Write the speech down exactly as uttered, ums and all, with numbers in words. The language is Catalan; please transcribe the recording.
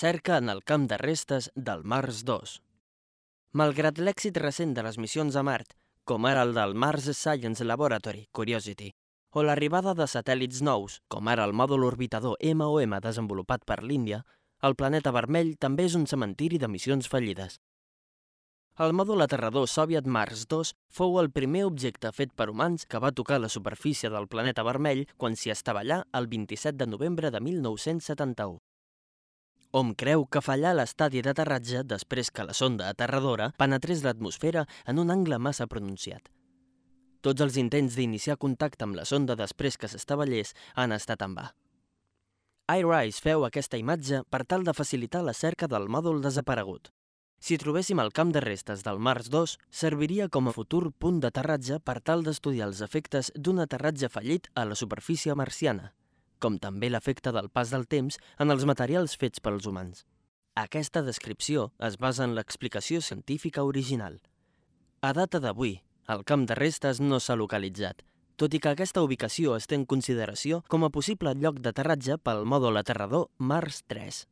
Recerca en el camp de restes del Mars dos. Malgrat l'èxit recent de les missions a Mart, com ara el del Mars Science Laboratory, Curiosity, o l'arribada de satèl·lits nous, com ara el mòdul orbitador M O M desenvolupat per l'Índia, el planeta vermell també és un cementiri de missions fallides. El mòdul aterrador soviet Mars dos fou el primer objecte fet per humans que va tocar la superfície del planeta vermell quan s'hi estavellà el vint-i-set de novembre de mil nou-cents setanta-u. Hom creu que fallà a l'estadi d'aterratge després que la sonda aterradora penetrés l'atmosfera en un angle massa pronunciat. Tots els intents d'iniciar contacte amb la sonda després que s'estavellés han estat en va. iRISE feu aquesta imatge per tal de facilitar la cerca del mòdul desaparegut. Si trobéssim el camp de restes del Mars dos, serviria com a futur punt d'aterratge per tal d'estudiar els efectes d'un aterratge fallit a la superfície marciana, com també l'efecte del pas del temps en els materials fets pels humans. Aquesta descripció es basa en l'explicació científica original. A data d'avui, el camp de restes no s'ha localitzat, tot i que aquesta ubicació es té en consideració com a possible lloc d'aterratge pel mòdul aterrador Mars tres.